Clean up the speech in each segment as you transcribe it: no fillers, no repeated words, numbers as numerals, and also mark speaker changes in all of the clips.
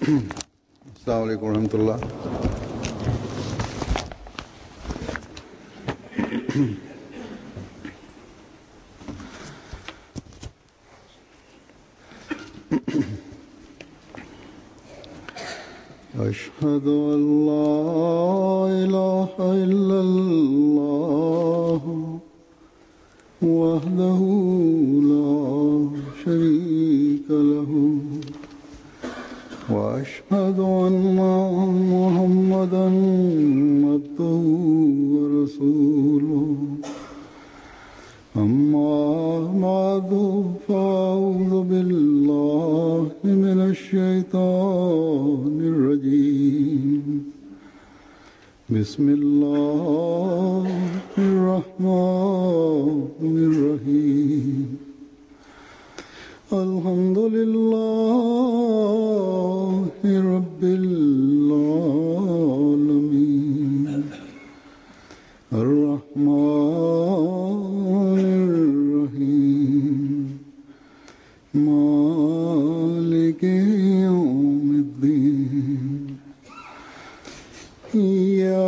Speaker 1: अस्सलाम वालेकुम रहमतुल्लाह। अशहदु अल्ला इलाहा इल्लल्लाह वहदहु ला शरीका लहु वअशहदु अन्ना मुहम्मदन अब्दुहु व रसूलुहु अम्मा बअदु फ़अऊज़ु बिल्लाहि मिनश शैतानिर रजीम बिस्मिल्लाहिर रहमानिर रहीम अल्हम्दुलिल्लाहि रब्बिल आलमीन अर्रहमानिर रहीम मालिकि यौमिद्दीन इय्याका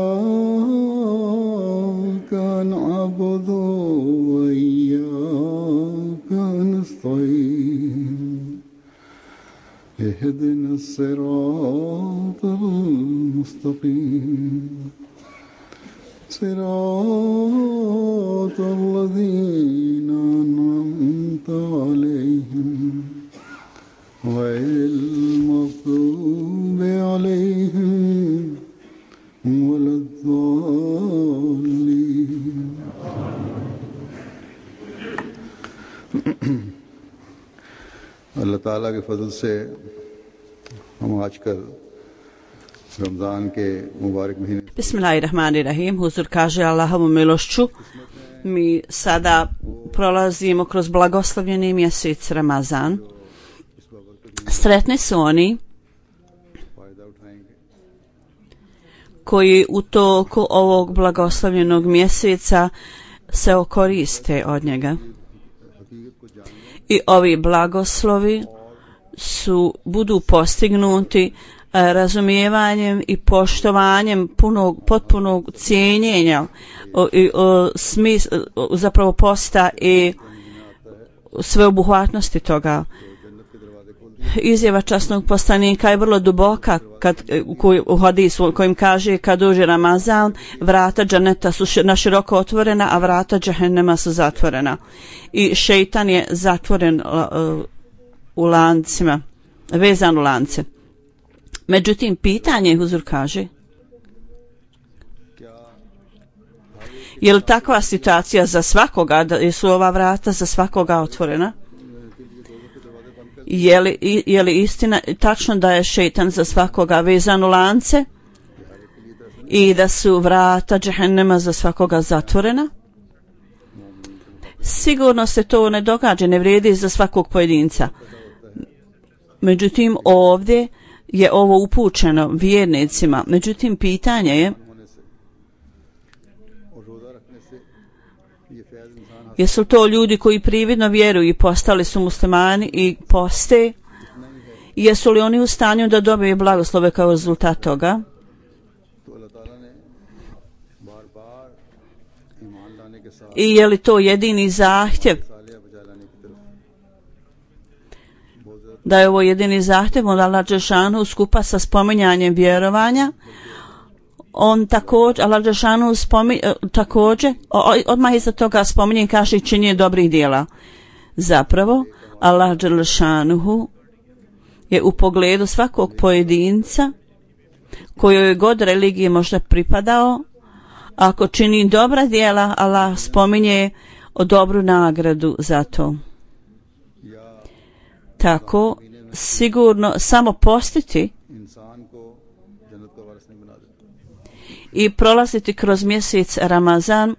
Speaker 1: नअबुदु व इय्याका नस्तईन इहदिना सिरातल मुस्तकीम सिरातल लज़ीना अनअमता अलैहिम गैरिल मग़्दूबि अलैहिम वलद्दाल्लीन। अल्लाह ताला के फजल से हम आजकल रमज़ान के मुबारक महीने
Speaker 2: Bismillahirrahmanirrahim. Huzur kaže Allahovom milošću mi sada prolazimo kroz blagoslovljeni mjesec Ramazan. Sretni su oni koji u toku ovog blagoslovljenog mjeseca se okoriste od njega. I ovi blagoslovi budu postignuti razumijevanjem i poštovanjem potpunog cijenjenja zapravo posta i sveobuhvatnosti toga. Izjava časnog poslanika je vrlo duboka u hadisu kojim kaže kad dođe Ramazan vrata džaneta su naširoko otvorena, a vrata džehennema su zatvorena. I šejtan je zatvoren u lancima, vezan u lance. Međutim, pitanje, huzur kaže, je li takva situacija za svakoga, da su ova vrata za svakoga otvorena? Je li istina tačno da je šejtan za svakoga vezan u lance i da su vrata džehennema za svakoga zatvorena? Sigurno se to ne događa, ne vrijedi za svakog pojedinca. Međutim, ovdje je ovo upućeno vjernicima. Međutim, pitanje je jesu to ljudi koji prividno vjeruju i postali su muslimani i poste? Jesu li oni u stanju da dobiju blagoslove kao rezultat toga? I je li to jedini zahtjev? Da je ovo jedini zahtjev od Allah dželešanu skupa sa spominjanjem vjerovanja. On također, Allah dželešanu također, odmah iza toga spominje i kaže i činjenje dobrih djela. Zapravo, Allah dželešanu je u pogledu svakog pojedinca kojoj god religiji možda pripadao, ako čini dobra djela, Allah spominje o dobru nagradu za to. Tako, sigurno samo postiti i prolaziti kroz mjesec Ramazan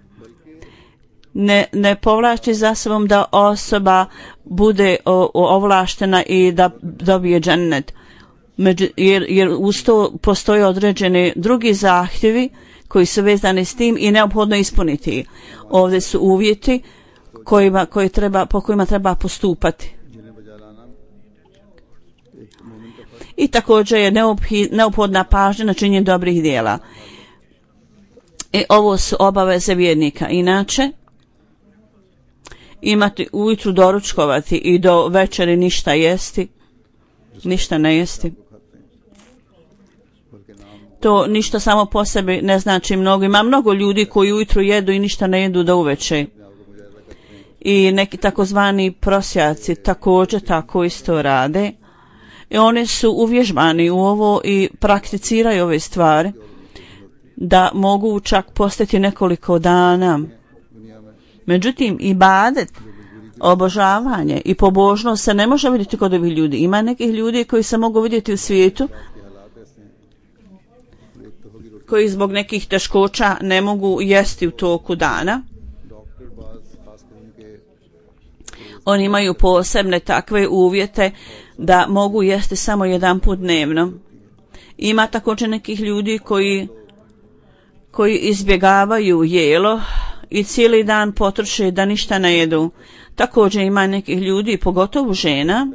Speaker 2: ne povlači za sobom da osoba bude ovlaštena i da dobije džennet. Jer uz to postoje određeni drugi zahtjevi koji su vezani s tim i neophodno ispuniti. Ovdje su uvjeti po kojima treba postupati. i također je neophodna pažnja na činjenje dobrih djela. I ovo su obaveze vjernika. Inače, imati ujutru doručkovati i do večeri ništa jesti, ništa ne jesti. To ništa samo po sebi ne znači mnogo. Ima mnogo ljudi koji ujutru jedu i ništa ne jedu do uveče. I neki takozvani prosjaci također tako isto rade. I oni su uvježbani u ovo i prakticiraju ove stvari da mogu čak postati nekoliko dana. Međutim, ibadet, obožavanje i pobožnost se ne može vidjeti kod ovih ljudi. Ima nekih ljudi koji se mogu vidjeti u svijetu, koji zbog nekih teškoća ne mogu jesti u toku dana. Oni imaju posebne takve uvjete da mogu jesti samo jedan put dnevno. Ima također nekih ljudi koji izbjegavaju jelo i cijeli dan potroše da ništa ne jedu. Također ima nekih ljudi, pogotovo žena,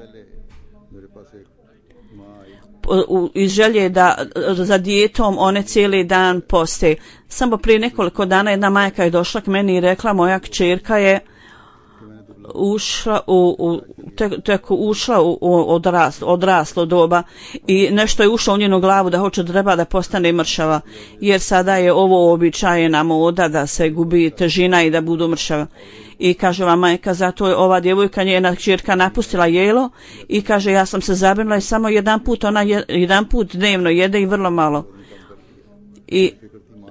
Speaker 2: iz želje da za dijetom one cijeli dan poste. Samo prije nekoliko dana jedna majka je došla k meni i rekla, moja kćerka je ušla u odraslo doba i nešto je ušlo u njenu glavu da treba da postane mršava, jer sada je ovo običajena moda da se gubi težina i da budu mršava. I kaže vam majka, zato je ova djevojka, njena kćerka, napustila jelo i kaže, ja sam se zabrinula i samo jedan put dnevno jede i vrlo malo. I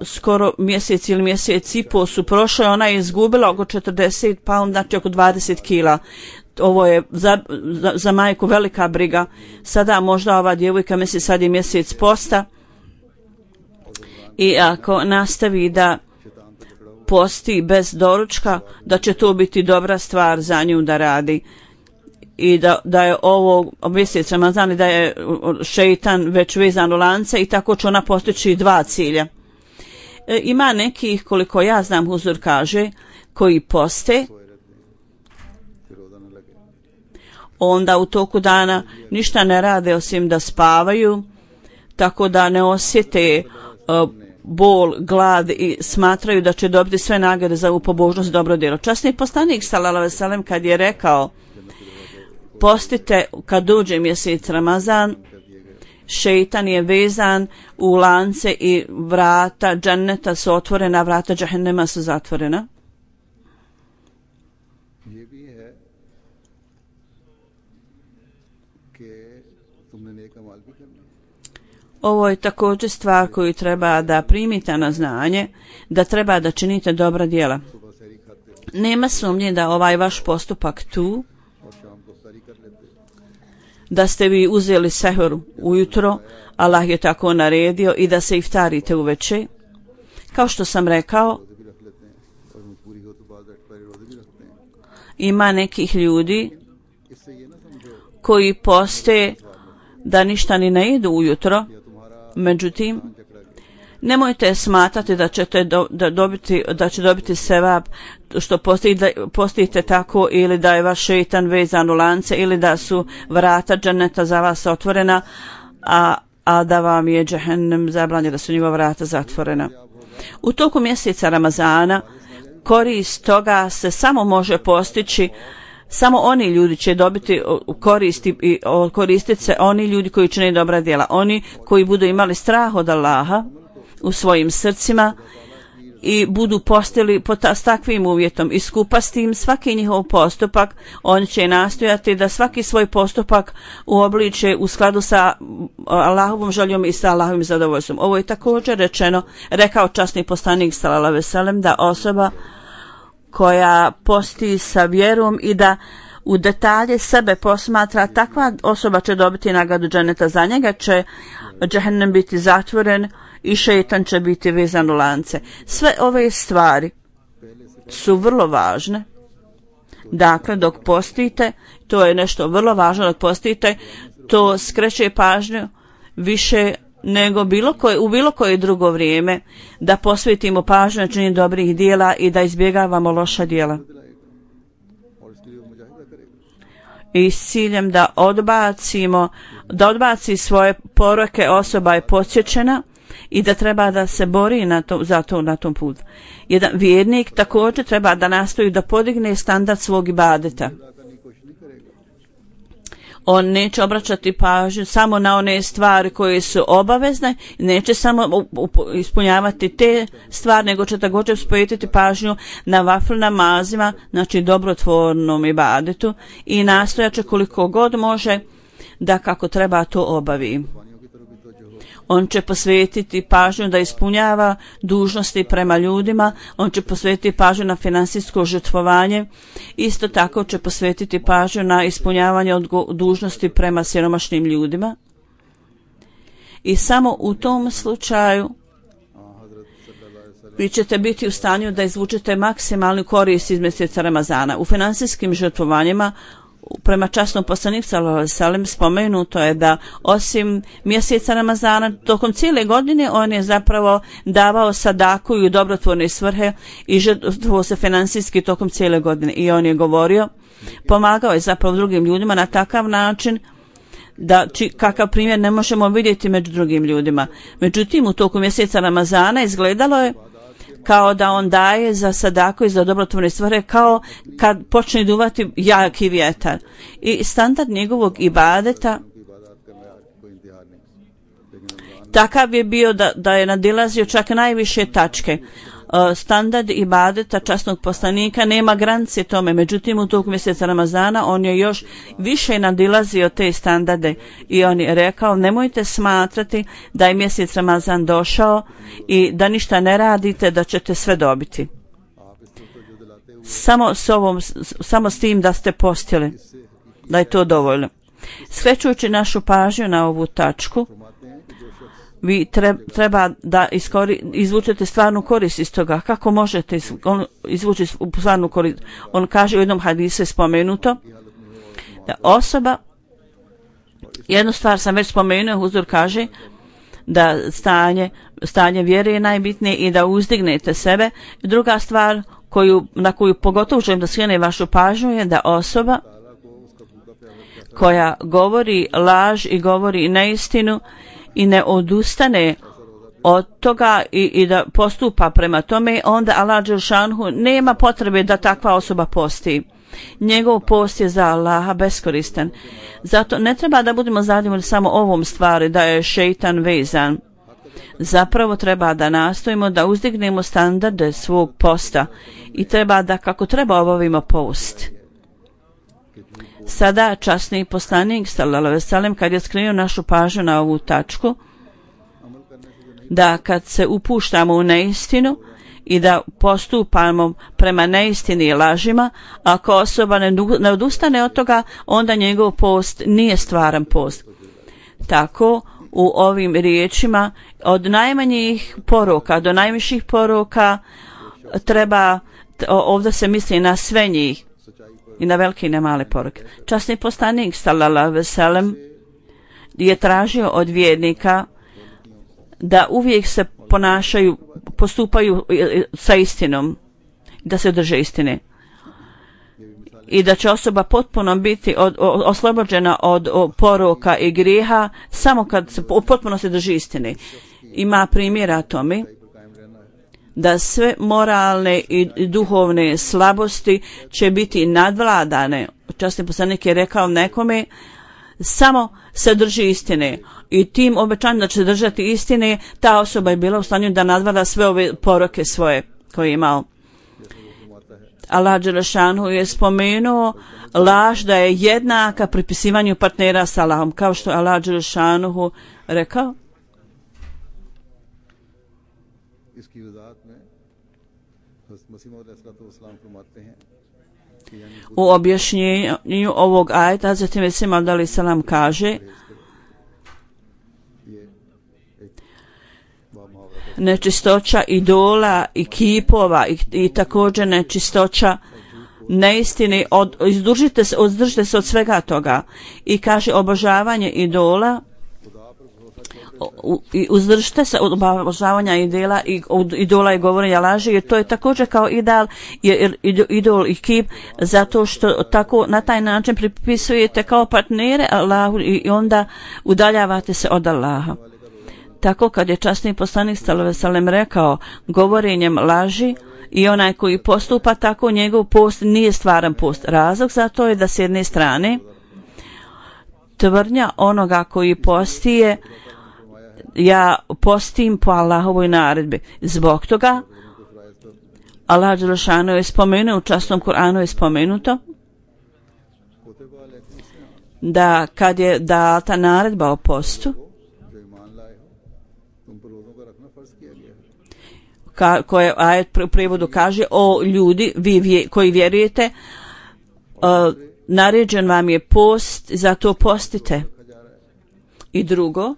Speaker 2: skoro mjesec ili mjesec i pol su prošle, ona je izgubila oko 40 pound, znači oko 20 kila. Ovo je za majku velika briga. Sada možda ova djevojka misli sad je mjesec posta i ako nastavi da posti bez doručka, da će to biti dobra stvar za nju da radi. I da je ovo mjesec Ramazan i da je šeitan već vezan u lance i tako će ona postići dva cilja. Ima nekih, koliko ja znam, Huzur kaže, koji poste, onda u toku dana ništa ne rade osim da spavaju, tako da ne osjete bol, glad i smatraju da će dobiti sve nagrade za ovu pobožnost i dobro djelo. Časni poslanik sallallahu alejhi ve sellem kad je rekao, postite kad dođe mjesec Ramazan, šeitan je vezan u lance i vrata dženneta su otvorena, vrata džahennema su zatvorena. Ovo je također stvar koju treba da primite na znanje, da treba da činite dobra djela. Nema sumnje da ovaj vaš postupak tu, da ste vi uzeli sehur ujutro, Allah je tako naredio, i da se iftarite uveče. Kao što sam rekao, ima nekih ljudi koji poste da ništa ni ne jedu ujutro, međutim, nemojte smatrati da ćete da će dobiti sevap što postite tako, ili da je vaš šeitan vezan u lance, ili da su vrata dženeta za vas otvorena, a da vam je džehennem zabranjeno, da su njegova vrata zatvorena. U toku mjeseca Ramazana korist toga se samo može postići, samo oni ljudi će dobiti koristi i koristit se oni ljudi koji čine dobra djela, oni koji budu imali strah od Allaha u svojim srcima i budu postili s takvim uvjetom i skupa s tim svaki njihov postupak, oni će nastojati da svaki svoj postupak uobliče u skladu sa Allahovom željom i sa Allahovim zadovoljstvom. Ovo je također rekao časni poslanik sallallahu alejhi ve sellem, da osoba koja posti sa vjerom i da u detalje sebe posmatra, takva osoba će dobiti nagradu dženeta, za njega će džehennem biti zatvoren i šeitan će biti vezan u lance. Sve ove stvari su vrlo važne. Dakle, dok postite, to je nešto vrlo važno, dok postite, to skreće pažnju više nego u bilo koje drugo vrijeme, da posvetimo pažnju na činjenje dobrih dijela i da izbjegavamo loša dijela. I s ciljem da odbacimo da odbaci svoje poroke, osoba je podsjećena i da treba da se bori na tom putu. Jedan vjernik također treba da nastoji da podigne standard svog ibadeta. On neće obraćati pažnju samo na one stvari koje su obavezne, neće samo ispunjavati te stvari, nego će također posvetiti pažnju na vafl namazima, znači dobrotvornom ibadetu, i nastojaće koliko god može da kako treba to obavi. On će posvetiti pažnju da ispunjava dužnosti prema ljudima, on će posvetiti pažnju na finansijsko žrtvovanje, isto tako će posvetiti pažnju na ispunjavanje dužnosti prema siromašnim ljudima. I samo u tom slučaju vi ćete biti u stanju da izvučete maksimalnu korist iz mjeseca Ramazana. U finansijskim žrtvovanjima prema časnom poslaniku sallallahu alejhi ve sellem spomenuto je da osim mjeseca Ramazana tokom cijele godine on je zapravo davao sadaku i u dobrotvorne svrhe i žrtvovao se finansijski tokom cijele godine. I on je govorio, pomagao je zapravo drugim ljudima na takav način da kakav primjer ne možemo vidjeti među drugim ljudima. Međutim, u toku mjeseca Ramazana izgledalo je kao da on daje za sadaku i za dobrotvorne svrhe kao kad počne duvati jaki vjetar. I standard njegovog ibadeta takav je bio da je nadilazio čak najviše tačke. Standard ibadeta časnog poslanika nema granice tome, međutim u toku mjeseca Ramazana on je još više nadilazio te standarde i on je rekao, nemojte smatrati da je mjesec Ramazan došao i da ništa ne radite, da ćete sve dobiti. Samo s tim da ste postili, da je to dovoljno. Skrećujući našu pažnju na ovu tačku, vi treba da izvučete stvarnu korist iz toga. Kako možete izvući stvarnu korist? On kaže u jednom hadisu je spomenuto da osoba, jednu stvar sam već spomenuo, Huzur kaže da stanje vjere je najbitnije i da uzdignete sebe. Druga stvar na koju pogotovo želim da skrene vašu pažnju je da osoba koja govori laž i govori neistinu i ne odustane od toga i da postupa prema tome, onda Allah dželšanhu nema potrebe da takva osoba posti. Njegov post je za Allaha beskoristan. Zato ne treba da budemo zadovoljni samo ovom stvari da je šejtan vezan. Zapravo treba da nastojimo da uzdignemo standarde svog posta i treba da kako treba obavimo post. Sada časni poslanik sallallahu alejhi ve sellem kad je skrenuo našu pažnju na ovu tačku, da kad se upuštamo u neistinu i da postupamo prema neistini i lažima, ako osoba ne odustane od toga, onda njegov post nije stvaran post. Tako u ovim riječima od najmanjih poroka do najviših poroka treba, ovdje se misli na sve njih, i na velike i na male poruke. Časni poslanik sallallahu alejhi ve sellem je tražio od vjernika da uvijek se postupaju sa istinom, da se drže istine. I da će osoba potpuno biti oslobođena od poroka i grijeha samo kad se potpuno se drži istine. Ima primjera tome da sve moralne i duhovne slabosti će biti nadvladane. Časni poslanik je rekao nekome, samo se drži istine. I tim obećanjem da će se držati istine, ta osoba je bila u stanju da nadvlada sve ove poroke svoje koje je imao. Allah dželešanu je spomenuo laž da je jednaka pripisivanju partnera sa Allahom, kao što Allah dželešanu rekao. U objašnjenju ovog ajeta Hazreti Mesih Maud alejhi selam kaže: nečistoća idola i kipova i također nečistoća neistine, ozdržite se od svega toga. I kaže obožavanje idola i uzdržite se od obožavanja idola i govorenja laži, jer to je također kao idol i kip, zato što tako na taj način pripisujete kao partnere Allahu i onda udaljavate se od Allaha. Tako kad je časni poslanik sallallahu alejhi ve sellem rekao govorenjem laži i onaj koji postupa tako, njegov post nije stvaran post. Razlog za to je da s jedne strane tvrdnja onoga koji postije, ja postim po Allahovoj naredbi. Zbog toga Allah dželešanu je spomenuo, u časnom Kur'anu je spomenuto da kad je data naredba o postu, koje ajet u prijevodu kaže: o ljudi, vi koji vjerujete, naređen vam je post, zato postite. I drugo,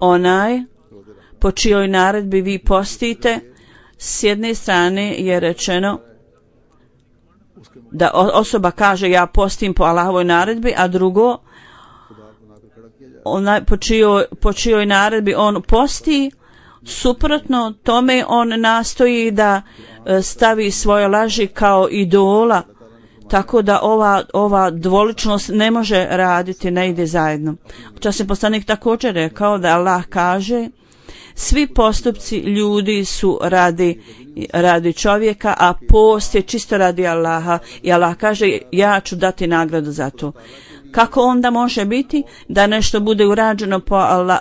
Speaker 2: onaj po čijoj naredbi vi postite, s jedne strane je rečeno da osoba kaže ja postim po Allahovoj naredbi, a drugo, onaj po čijoj naredbi on posti, suprotno tome on nastoji da stavi svoje laži kao idola, tako da ova dvoličnost ne može raditi, ne ide zajedno. Časni poslanik također rekao da Allah kaže: svi postupci ljudi su radi čovjeka, a post je čisto radi Allaha, i Allah kaže: ja ću dati nagradu za to. Kako onda može biti da nešto bude urađeno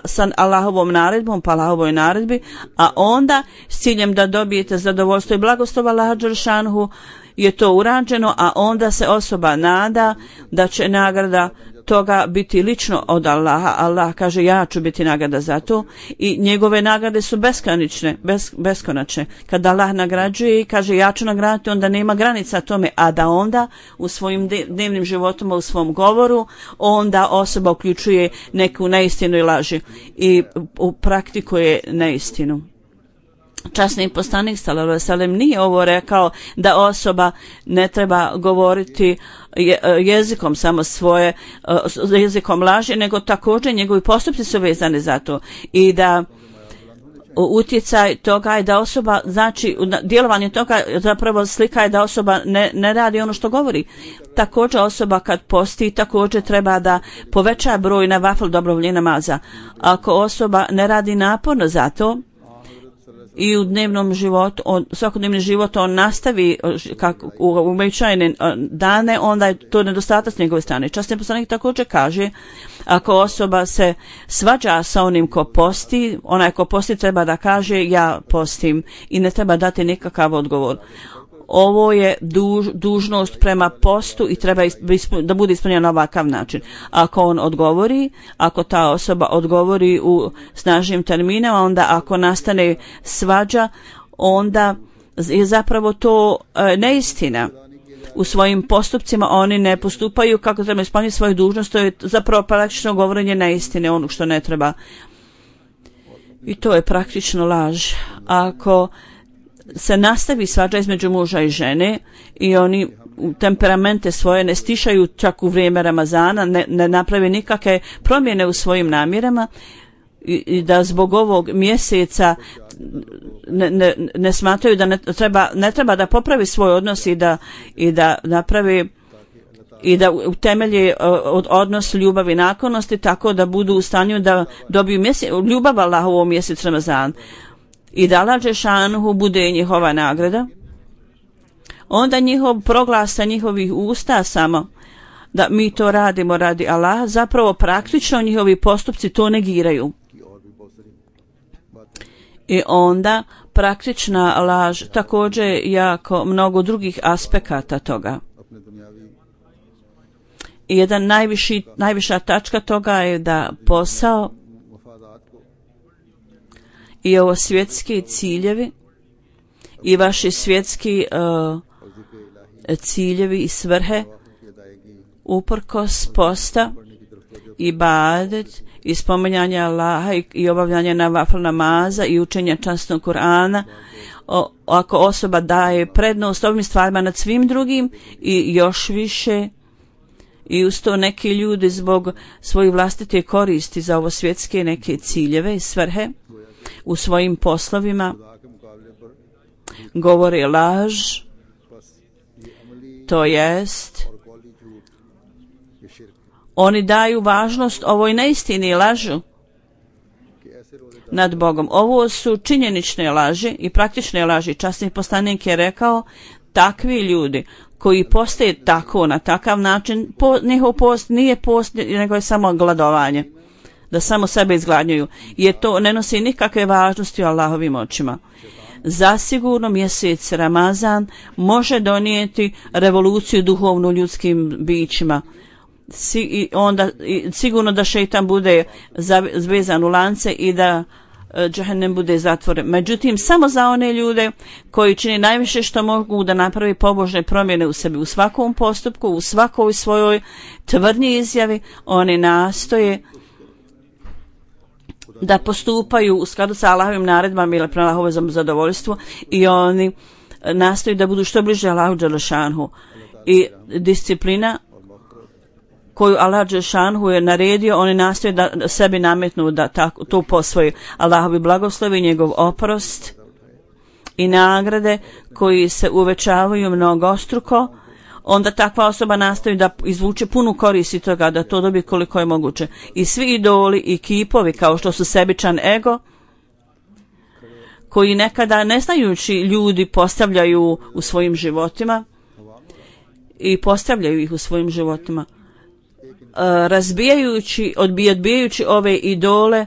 Speaker 2: sa Allahovom naredbom, po Allahovoj naredbi, a onda s ciljem da dobijete zadovoljstvo i blagoslov Allaha dželešanu je to urađeno, a onda se osoba nada da će nagrada toga biti lično od Allaha. Allah kaže: ja ću biti nagrada za to, i njegove nagrade su beskonačne. Kada Allah nagrađuje i kaže ja ću nagraditi, onda nema granica tome, a da onda u svojim dnevnim životima, u svom govoru, onda osoba uključuje neku neistinu i laži i praktikuje neistinu. Časni poslanik sallallahu alejhi ve sellem nije ovo rekao da osoba ne treba govoriti jezikom samo svoje, jezikom laži, nego također njegovi postupci su vezani za to, i da utjecaj toga je da osoba, znači djelovanje toga zapravo slika je da osoba ne radi ono što govori. Također osoba kad posti također treba da poveća broj navafil dobrovoljnih namaza. Ako osoba ne radi naporno za to i u dnevnom životu, svakodnevni život on nastavi kako u uobičajene dane, onda je to nedostatak s njegove strane. Časni poslanik također kaže: ako osoba se svađa sa onim ko posti, onaj ko posti treba da kaže ja postim, i ne treba dati nikakav odgovor. Ovo je dužnost prema postu i treba da bude ispunjena na ovakav način. Ako on odgovori, ako ta osoba odgovori u snažnim terminama, onda ako nastane svađa, onda je zapravo to neistina. U svojim postupcima oni ne postupaju kako treba ispuniti svoju dužnost, to je zapravo praktično govorenje neistine, ono što ne treba. I to je praktično laž. Ako se nastavi svađa između muža i žene i oni temperamente svoje ne stišaju čak u vrijeme Ramazana, ne naprave nikakve promjene u svojim namjerama, i da zbog ovog mjeseca ne smatraju da ne treba da popravi svoj odnos i da napravi i da utemelje odnos ljubavi i naklonosti, tako da budu u stanju da dobiju ljubav Allahovu u mjesec Ramazan i da Allah dželešanu bude njihova nagrada, onda njihov proglas sa njihovih usta samo da mi to radimo radi Allaha, zapravo praktično njihovi postupci to negiraju. I onda praktična laž također jako mnogo drugih aspekata toga. I najviša tačka toga je da posao i ovo svjetski ciljevi i vaši svjetski ciljevi i svrhe uprkos posta, ibadet i spominjanja Allaha i obavljanja navafil namaza i učenja časnog Kur'ana, ako osoba daje prednost ovim stvarima nad svim drugim i još više I uz to neki ljudi zbog svojih vlastite koristi za ovo svjetske neke ciljeve i svrhe u svojim poslovima govore laž, to jest oni daju važnost ovoj neistini i lažu nad Bogom. Ovo su činjenične laži i praktične laži. Časni poslanik je rekao, takvi ljudi koji postoje tako, na takav način, njihov post nije post, nego je samo gladovanje, da samo sebe izgladnjuju, jer to ne nosi nikakve važnosti u Allahovim očima. Zasigurno mjesec Ramazan može donijeti revoluciju duhovnu ljudskim bićima. Sigurno da šejtan bude zvezan u lance i da džehennem bude zatvoren. Međutim, samo za one ljude koji čini najviše što mogu da napravi pobožne promjene u sebi, u svakom postupku, u svakoj svojoj tvrdnji izjavi, oni nastoje da postupaju u skladu sa Allahovim naredbama ili prema Allahovom zadovoljstvu i oni nastoje da budu što bliže Allahu dželešanhu. I disciplina koju Allah dželešanhu je naredio, oni nastoje da sebi nametnu da to posvoji. Allahovi blagoslovi, njegov oprost i nagrade koji se uvećavaju mnogostruko, onda takva osoba nastoji da izvuče punu korist toga, da to dobije koliko je moguće. I svi idoli i kipovi kao što su sebičan ego, koji nekada neznajući ljudi postavljaju u svojim životima i postavljaju ih u svojim životima, odbijajući ove idole,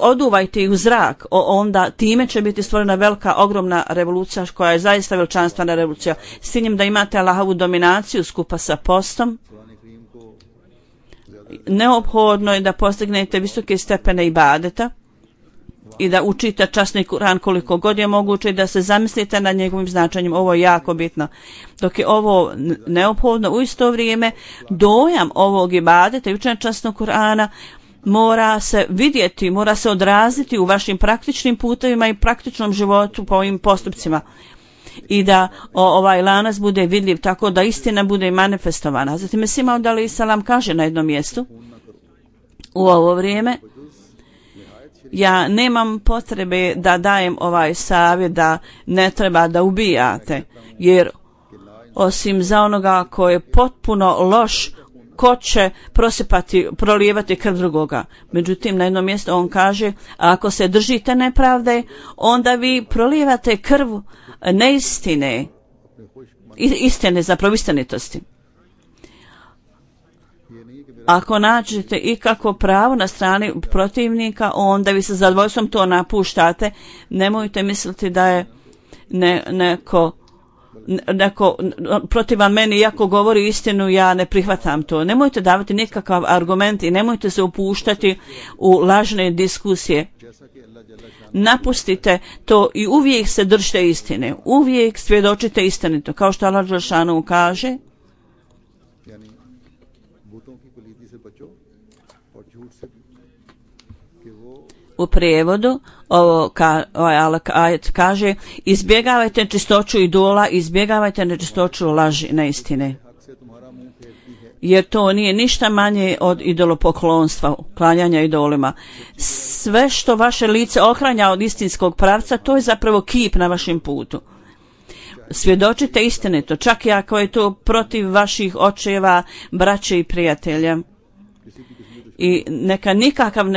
Speaker 2: oduvajte ih u zrak, onda time će biti stvorena velika, ogromna revolucija koja je zaista veličanstvena revolucija. S ciljem da imate Allahovu dominaciju skupa sa postom, neophodno je da postignete visoke stepene ibadeta i da učite časni Kur'an koliko god je moguće i da se zamislite nad njegovim značenjem. Ovo je jako bitno. Dok je ovo neophodno, u isto vrijeme dojam ovog ibadeta i učenja časnog Kur'ana mora se vidjeti, mora se odraziti u vašim praktičnim putevima i praktičnom životu po ovim postupcima. I da ovaj lanac bude vidljiv tako da istina bude manifestovana. Zatim Mesih Maud alejhi selam kaže na jednom mjestu, u ovo vrijeme ja nemam potrebe da dajem ovaj savjet da ne treba da ubijate, jer osim za onoga ko je potpuno loš, ko će prolijevati krv drugoga. Međutim, na jednom mjestu on kaže, ako se držite nepravde, onda vi prolijevate krv neistine, istine, zapravo istinitosti. Ako nađete ikako pravo na strani protivnika, onda vi sa zadovoljstvom to napuštate. Nemojte misliti da je neko protivan meni, iako govori istinu, ja ne prihvatam to. Nemojte davati nikakav argument i nemojte se upuštati u lažne diskusije. Napustite to i uvijek se držite istine. Uvijek svjedočite istinito. Kao što Allah dželešanu kaže, u prijevodu ovaj ajet kaže, izbjegavajte čistoću idola, izbjegavajte nečistoću laži, neistine, jer to nije ništa manje od idolopoklonstva, klanjanja idolima. Sve što vaše lice ohranja od istinskog pravca, to je zapravo kip na vašem putu. Svjedočite istinito, čak i ako je to protiv vaših očeva, braće i prijatelja. I neka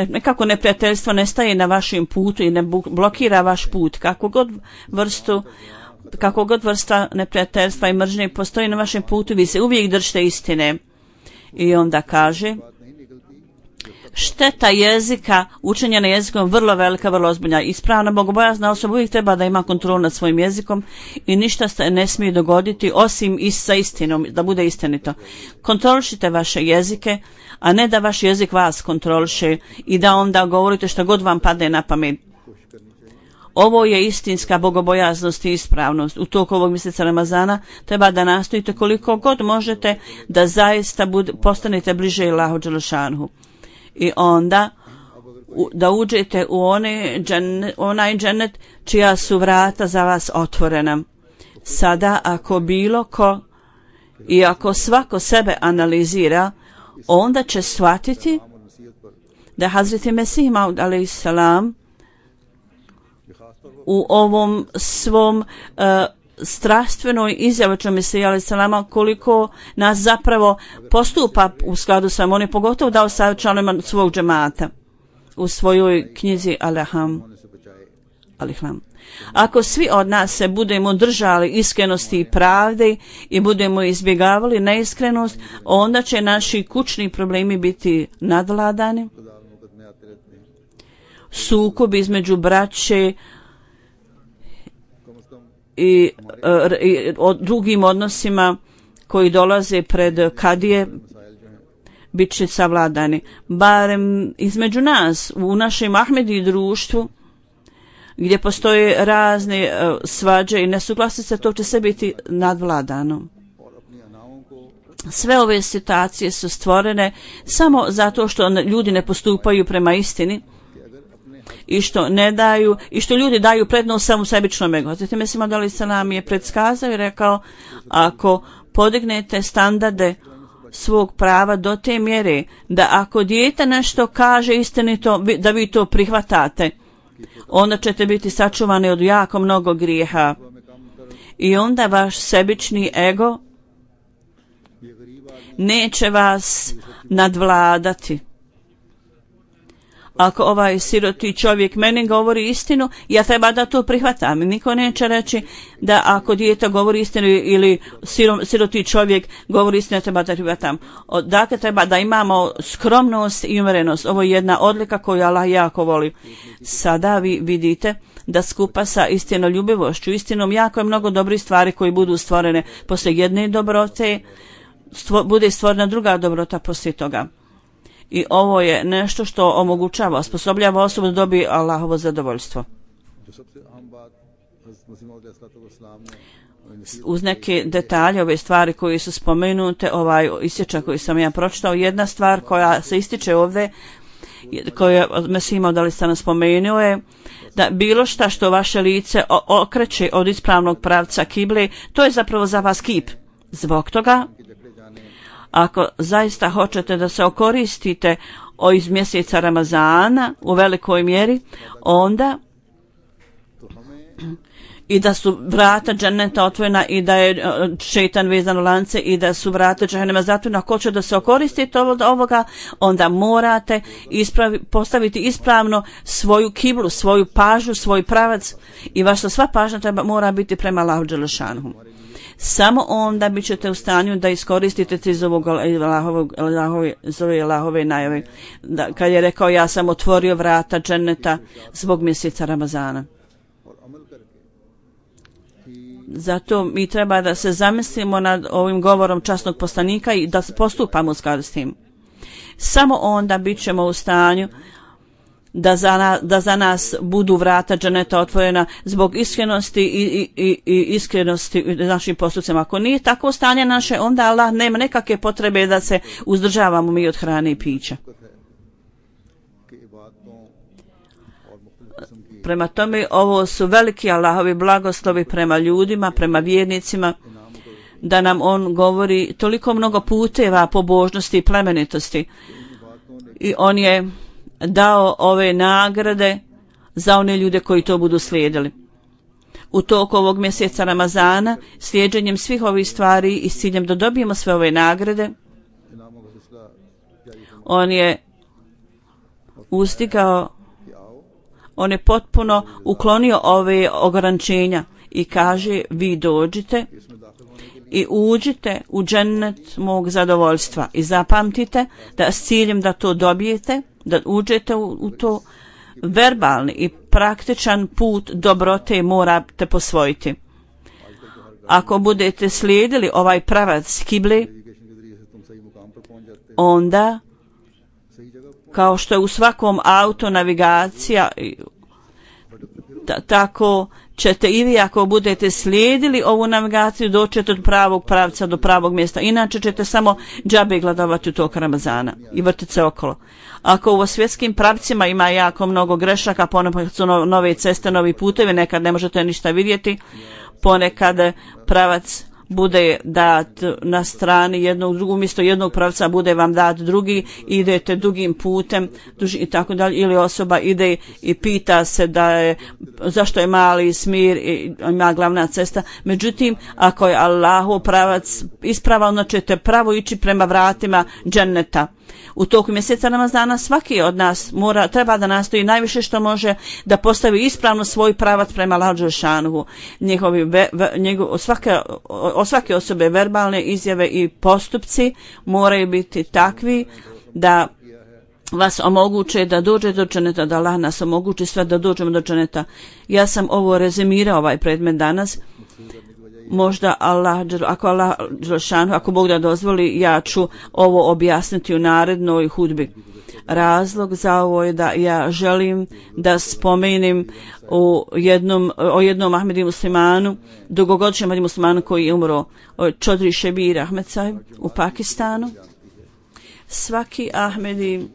Speaker 2: nekako neprijateljstvo ne staje na vašem putu i ne blokira vaš put. Kako god vrsta neprijateljstva i mržnje postoji na vašem putu, vi se uvijek držite istine. I onda kaže, šteta jezika, učenje na jezikom vrlo velika, vrlo ozbiljna. Ispravna bogobojazna osoba uvijek treba da ima kontrolu nad svojim jezikom i ništa se ne smije dogoditi osim sa istinom, da bude istinito. Kontrolišite vaše jezike, a ne da vaš jezik vas kontroliše i da onda govorite što god vam padne na pamet. Ovo je istinska bogobojaznost i ispravnost. U toku ovog mjeseca Ramazana treba da nastojite koliko god možete da zaista postanete bliže Allahu dželešanhu. I onda da uđete u onaj džennet čija su vrata za vas otvorena. Sada ako bilo ko I ako svako sebe analizira, onda će shvatiti da Hazreti Mesih Maud a.s. u ovom svom strastvenoj izjavi Mesija a.s. koliko nas zapravo postupa u skladu sa on je pogotovo dao savjet članovima svog džemata u svojoj knjizi Aliham. Ako svi od nas se budemo držali iskrenosti i pravde i budemo izbjegavali neiskrenost, onda će naši kućni problemi biti nadvladani. Sukob između braće i o drugim odnosima koji dolaze pred kadije bit će savladani. Barem između nas, u našem Ahmedi društvu, gdje postoje razne svađe i nesuglasice, to će sve biti nadvladano. Sve ove situacije su stvorene samo zato što ljudi ne postupaju prema istini i što ne daju, i što ljudi daju prednost samo sebičnom ego. Zatim Mesih Maud a.s. je predskazao i rekao, ako podignete standarde svog prava do te mjere da ako dijete nešto kaže istinito, da vi to prihvatate, onda ćete biti sačuvani od jako mnogo grijeha. I onda vaš sebični ego neće vas nadvladati. Ako ovaj siroti čovjek meni govori istinu, ja treba da to prihvatam. Niko neće reći da ako dijete govori istinu ili siroti čovjek govori istinu, ja treba da prihvatam. Dakle, treba da imamo skromnost i umjerenost. Ovo je jedna odlika koju Allah jako voli. Sada vi vidite da skupa sa istinoljubivošću, istinom jako je mnogo dobrih stvari koji budu stvorene poslije jedne dobrote, bude stvorena druga dobrota poslije toga. I ovo je nešto što omogućava, osposobljava osobu da dobije Allahovo zadovoljstvo. Uz neke detalje, ove stvari koje su spomenute, ovaj isječak koji sam ja pročitao, jedna stvar koja se ističe ovdje, koju Mesih Maud a.s. spomenuo je, da bilo šta što vaše lice okreće od ispravnog pravca kible, to je zapravo za vas kip. Zbog toga, ako zaista hoćete da se okoristite iz mjeseca Ramazana u velikoj mjeri, onda i da su vrata dženneta otvorena i da je šejtan vezan u lance i da su vrata džehennema zatvorena, ako hoće da se okoristite od ovoga, onda morate postaviti ispravno svoju kiblu, svoju pažnju, svoj pravac i vaša sva pažnja mora biti prema Allahu dželešanuhu. Samo onda bit ćete u stanju da iskoristite iz ovog Allahove najave. Kad je rekao, ja sam otvorio vrata dženneta zbog mjeseca Ramazana. Zato mi treba da se zamislimo nad ovim govorom časnog poslanika i da postupamo u skladu s tim. Samo onda bit ćemo u stanju da za nas budu vrata džaneta otvorena zbog iskrenosti i iskrenosti našim postupcima. Ako nije tako stanje naše, onda Allah nema nekakve potrebe da se uzdržavamo mi od hrane i pića. Prema tome, ovo su veliki Allahovi blagoslovi prema ljudima, prema vjernicima, da nam on govori toliko mnogo puteva pobožnosti i plemenitosti. I on je dao ove nagrade za one ljude koji to budu slijedili. U toku ovog mjeseca Ramazana, slijeđenjem svih ovih stvari i s ciljem da dobijemo sve ove nagrade, on je uzdigao, on je potpuno uklonio ove ograničenja i kaže, vi dođite i uđite u džennet mog zadovoljstva i zapamtite da s ciljem da to dobijete, da uđete u to, verbalni i praktičan put dobrote morate posvojiti. Ako budete slijedili ovaj pravac kible, onda kao što je u svakom auto navigacija, tako ćete i vi ako budete slijedili ovu navigaciju doćete od pravog pravca do pravog mjesta. Inače ćete samo džabe gladovati u tog Ramazana i vrtiti se okolo. Ako u svjetskim pravcima ima jako mnogo grešaka, ponekad su nove ceste, novi putevi, nekad ne možete ništa vidjeti, ponekad pravac bude dat na strani jednog drugog, umjesto jednog pravca bude vam dat drugi, idete dugim putem i tako dalje, ili osoba ide i pita se zašto je mali smir i ima glavna cesta. Međutim, ako je Allahov pravac ispravan, onda ćete pravo ići prema vratima dženneta. U toku mjeseca Ramazana svaki od nas treba da nastoji najviše što može da postavi ispravno svoj pravac prema Allahu dželešanuhu. Od svake osobe verbalne izjave i postupci moraju biti takvi da vas omoguće da dođe do dženeta, da Allah nas omogući sve da dođemo do dženeta. Ja sam ovo rezimirao, ovaj predmet danas. Možda ako Bog da dozvoli, ja ću ovo objasniti u narednoj hudbi. Razlog za ovo je da ja želim da spomenem o jednom Ahmedi muslimanu, dugogodišnjem Ahmedi muslimanu koji je umro, Čodri Šebir Ahmed Sahib u Pakistanu. Svaki Ahmedi,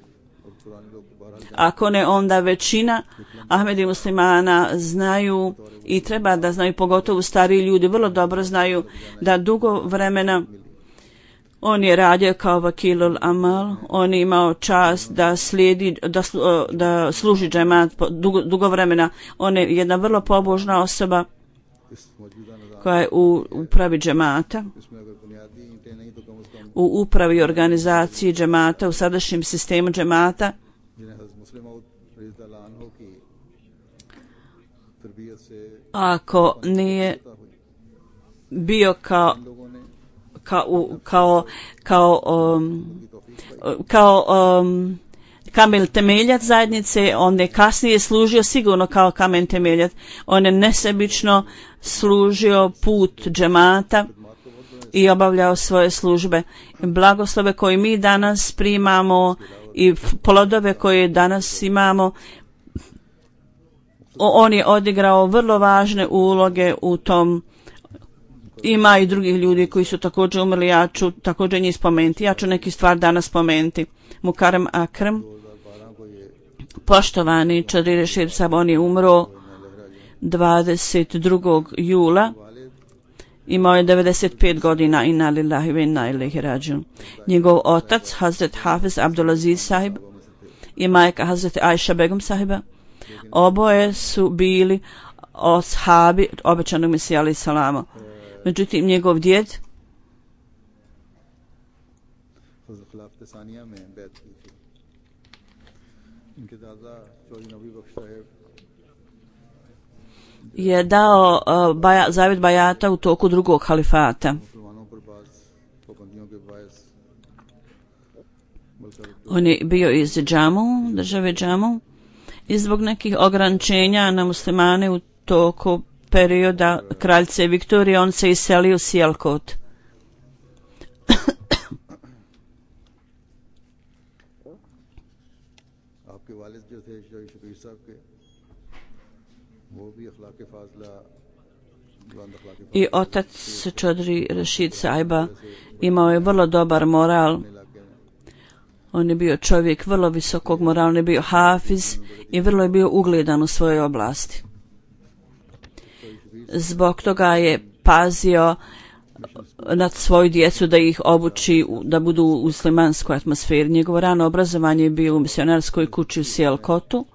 Speaker 2: ako ne onda većina Ahmedi muslimana znaju i treba da znaju, pogotovo stariji ljudi vrlo dobro znaju da dugo vremena on je radio kao vakilul amal, on je imao čast da slijedi, da služi džemat dugo vremena. On je jedna vrlo pobožna osoba koja je u upravi džemata, u upravi organizaciji džemata, u sadašnjem sistemu džemata. Ako nije bio kao kamen temeljac zajednice, on je kasnije služio sigurno kao kamen temeljac. On je nesebično služio put džemata i obavljao svoje službe. Blagoslove koje mi danas primamo i plodove koje danas imamo, on je odigrao vrlo važne uloge u tom. Ima i drugih ljudi koji su također umrli, ja ću također njih spomenuti. Ja ću neki stvar danas spomenuti. Mukarem Akram, poštovani Čodri Rešid Sahib, on je umro 22. jula. Imao je 95 godina, inna lillahi ve inna ilaihi rađiun. Njegov otac, Hazret Hafiz Abdulaziz Sahib, i majka Hazret Aisha Begum Sahiba, oboje su bili ashabi obećanog Mesija alejhi salama. Međutim, njegov djed je dao zavjet bajata u toku drugog halifata. On je bio iz Džamu, države Džamu, i zbog nekih ograničenja na muslimane u toku perioda kraljice Viktorije on se iselio u Sijalkot. I otac Čodri Rešid Sahiba imao je vrlo dobar moral. On je bio čovjek vrlo visokog morala, on je bio hafiz i vrlo je bio ugledan u svojoj oblasti. Zbog toga je pazio nad svoju djecu da ih obuči da budu u muslimanskoj atmosferi. Njegovo rano obrazovanje je bio u misionarskoj kući u Sijalkotu,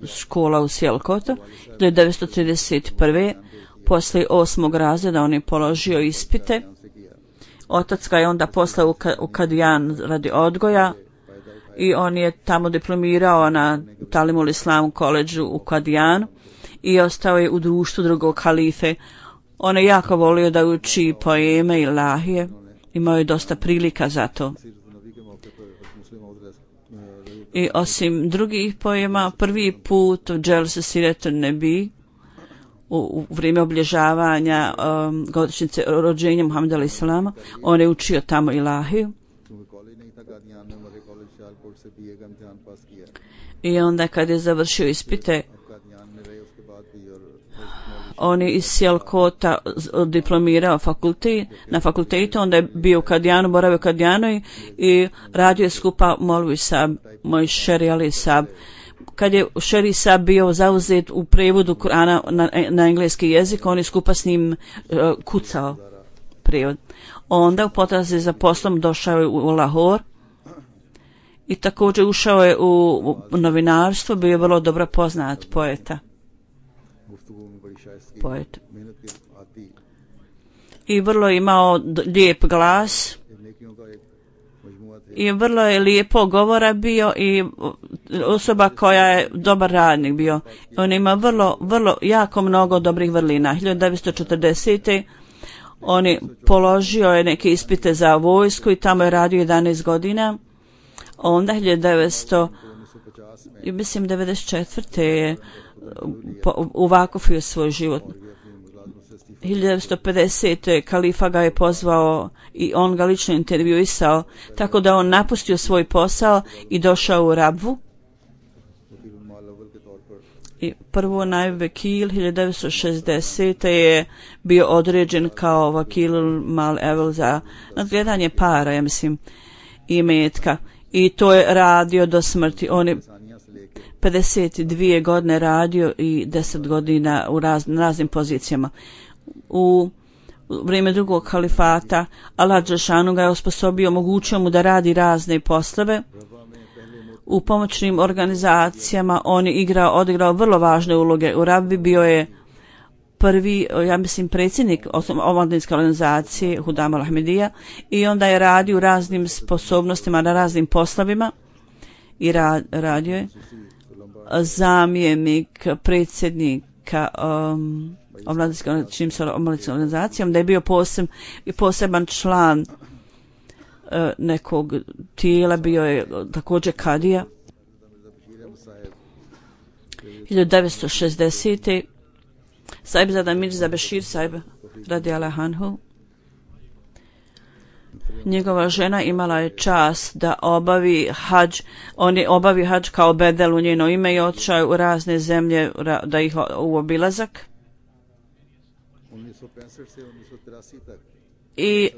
Speaker 2: škola u Sijalkotu. Do 1931. Poslije 8. razreda on je položio ispite. Otac ga je onda poslao u Kadijan radi odgoja i on je tamo diplomirao na Talimul Islam koledžu u Kadijanu i ostao je u društvu drugog halife. On je jako volio da uči poeme i lahije, imao je dosta prilika za to. I osim drugih poema, prvi put u Dželse Siretun Nebi, u vrijeme obilježavanja godišnjice rođenja Muhameda alejhi selama, on je učio tamo ilahiju. I onda kad je završio ispite, on je iz Sijalkota diplomirao na fakultetu, onda je bio u Kadijanu, boravio u Kadijanu i radio je skupa Molvi Sab, moj šeri alejhi sab. kad je Šerisa bio zauzet u prevodu Kurana na engleski jezik, on je skupa s njim kucao prevod. Onda u potrazi za poslom došao je u Lahor i također ušao je u novinarstvo, bio je vrlo dobro poznat poet. I vrlo imao lijep glas i vrlo je lijepo govora bio i osoba koja je dobar radnik bio. On ima vrlo jako mnogo dobrih vrlina. 1940. on je položio je neke ispite za vojsku i tamo je radio 11 godina. Onda 1994. je uvakufio svoj život. 1950. kalifa ga je pozvao i on ga lično intervjuisao, tako da on napustio svoj posao i došao u Rabvu. I prvo naib vekil 1960. je bio određen kao vakil mal evel za nadgledanje para, ja mislim, i metka. I to je radio do smrti. On je 52 godine radio i 10 godina u raznim pozicijama. U vrijeme drugog kalifata Allah dželešanu ga je osposobio, omogućio mu da radi razne poslove. U pomoćnim organizacijama on je odigrao vrlo važne uloge. U Rabbi bio je prvi, ja mislim, predsjednik omladinske organizacije Hudam al-Ahmedija i onda je radio u raznim sposobnostima na raznim poslovima i radio je zamjenik predsjednika omladinske organizacijom, da je bio poseban član nekog tijela, bio je također kadija. 1960. Saibzada Mirza Bešir Saib radijallahu anhu, njegova žena imala je čast da obavi hadž. On je obavi hadž kao bedel u njeno ime i otišao u razne zemlje da ih u obilazak. I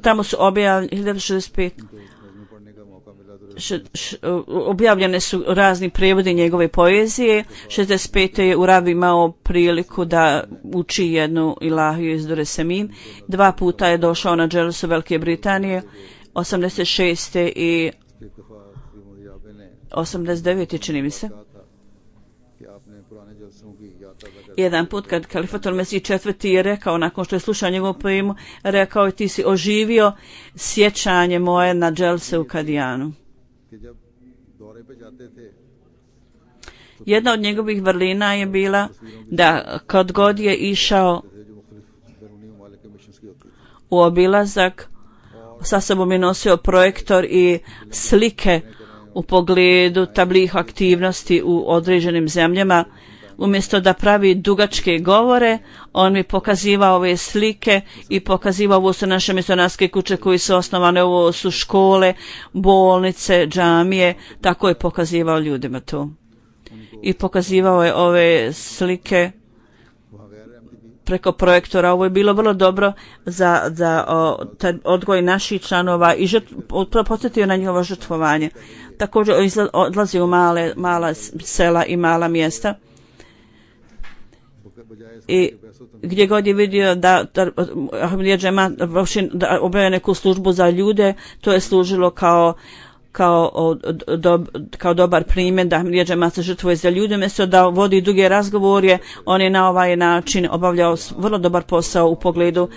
Speaker 2: tamo su objavljene su razni prijevodi njegove poezije. 65. je u Rabi imao priliku da uči jednu ilahiju iz Dure Semin. 2 puta je došao na dželsu Velike Britanije, 86. i 89. čini mi se. Jedan put kad Kalifatul Mesih IV. Je rekao, nakon što je slušao njegovu poemu, rekao je: ti si oživio sjećanje moje na dželse u Kadijanu. Jedna od njegovih vrlina je bila da kad god je išao u obilazak, sa sobom je nosio projektor i slike u pogledu tablih aktivnosti u određenim zemljama. Umjesto da pravi dugačke govore, on mi pokazivao ove slike i pokazivao: ovo su naše misionarske kuće koje su osnovane, ovo su škole, bolnice, džamije. Tako je pokazivao ljudima to. I pokazivao je ove slike preko projektora. Ovo je bilo vrlo dobro za odgoj naših članova i podsjetio na njihovo žrtvovanje. Također odlazi u mala sela i mala mjesta. I gdje god je vidio da Ahmadija džemat obavlja neku službu za ljude, to je služilo kao dobar primjer da Ahmadija džemat se žrtvuje za ljude. Umjesto da vodi duge razgovore, on je na ovaj način obavljao vrlo dobar posao u pogledu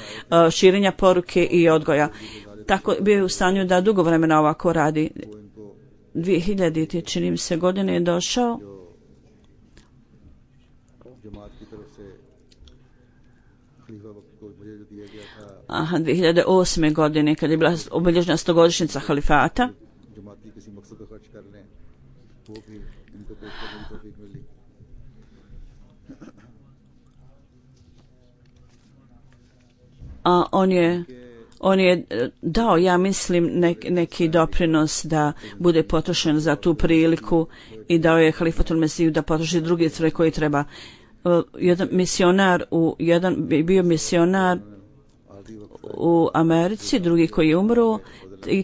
Speaker 2: širenja poruke i odgoja. Tako bio je u stanju da dugo vremena ovako radi. 2000. čini mi se godine je došao. 2008. godine, kad je bila obilježena 100-godišnjica halifata. On je dao, ja mislim, neki doprinos da bude potrošen za tu priliku i dao je Halifatul Mesiju da potroši druge stvari koje treba. Bio misionar u Americi, drugi koji je umro i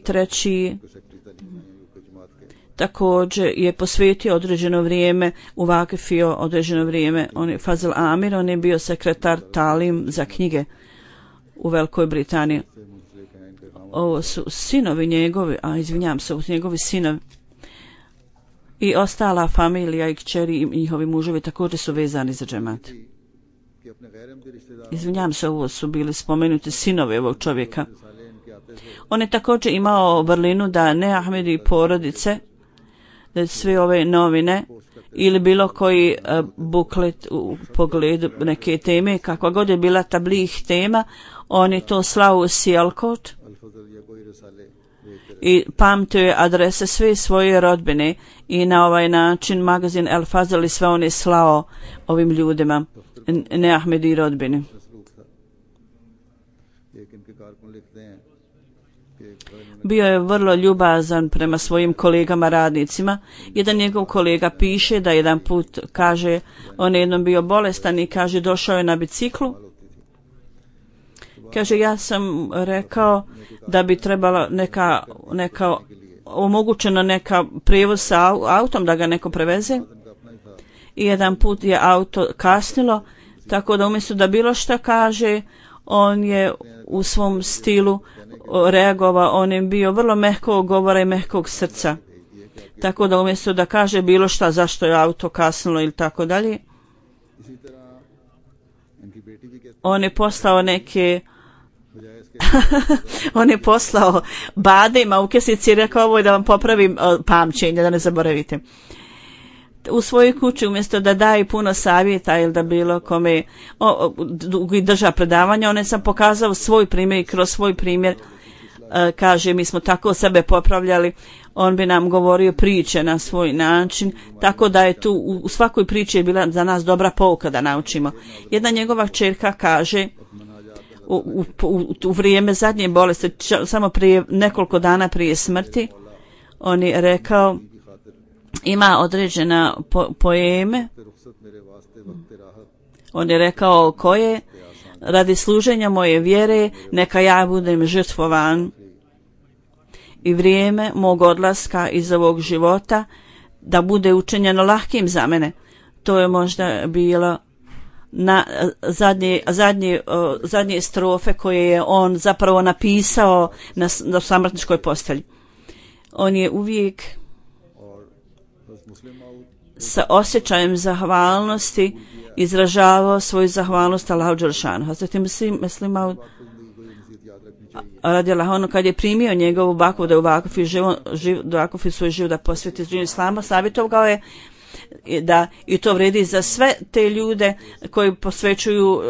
Speaker 2: također je posvetio određeno vrijeme u Vakifio, određeno vrijeme. On je Fazil Amir, on je bio sekretar talim za knjige u Velikoj Britaniji. Ovo su sinovi njegovi, izvinjam se, ovo su njegovi sinovi. I ostala familija i kćeri i njihovi muževi također su vezani za džemat. Izvinjam se, ovo su bili spomenuti sinovi ovog čovjeka. On je također imao vrlinu da ne Ahmedi porodice, da sve ove novine ili bilo koji buklet u pogledu neke teme, kakva god je bila tablih tema, on je to slao u Sijalkot i pamtio je adrese sve svoje rodbine i na ovaj način magazin El Fazl i sve on je slao ovim ljudima, ne Ahmedi rodbini. Bio je vrlo ljubazan prema svojim kolegama radnicima. Jedan njegov kolega piše da jedan put, kaže, on je jednom bio bolestan i kaže došao je na biciklu. Kaže, ja sam rekao da bi trebala neka omogućeno neka prijevoz sa autom da ga neko preveze. I jedan put je auto kasnilo, tako da umjesto da bilo šta kaže, on je u svom stilu reagovao, on je bio vrlo mehkog govora i mehkog srca. Tako da umjesto da kaže bilo šta zašto je auto kasnilo ili tako dalje, on je poslao neke on je poslao badema u kesici i rekao ovo je da vam popravim pamćenje, da ne zaboravite. U svojoj kući umjesto da daje puno savjeta ili da bilo kome drža predavanja, on je sam pokazao svoj primjer i kroz svoj primjer kaže mi smo tako sebe popravljali, on bi nam govorio priče na svoj način, tako da je tu u svakoj priči je bila za nas dobra pouka da naučimo. Jedna njegova kćerka kaže u vrijeme zadnje bolesti, samo prije nekoliko dana prije smrti, on je rekao ima određena poeme, on je rekao koje radi služenja moje vjere neka ja budem žrtvovan i vrijeme mog odlaska iz ovog života da bude učinjeno lahkim za mene. To je možda bilo na zadnje strofe koje je on zapravo napisao na samrtničkoj postelji. On je uvijek sa osjećajem zahvalnosti izražavao svoju zahvalnost Allahu dželešanu. Hazreti Muslim Maud radijallahu anhu kad je primio njegovu bakvu da u Vakufi svoj život da posveti izraženju islama, savjetovao je da i to vredi za sve te ljude koji posvećuju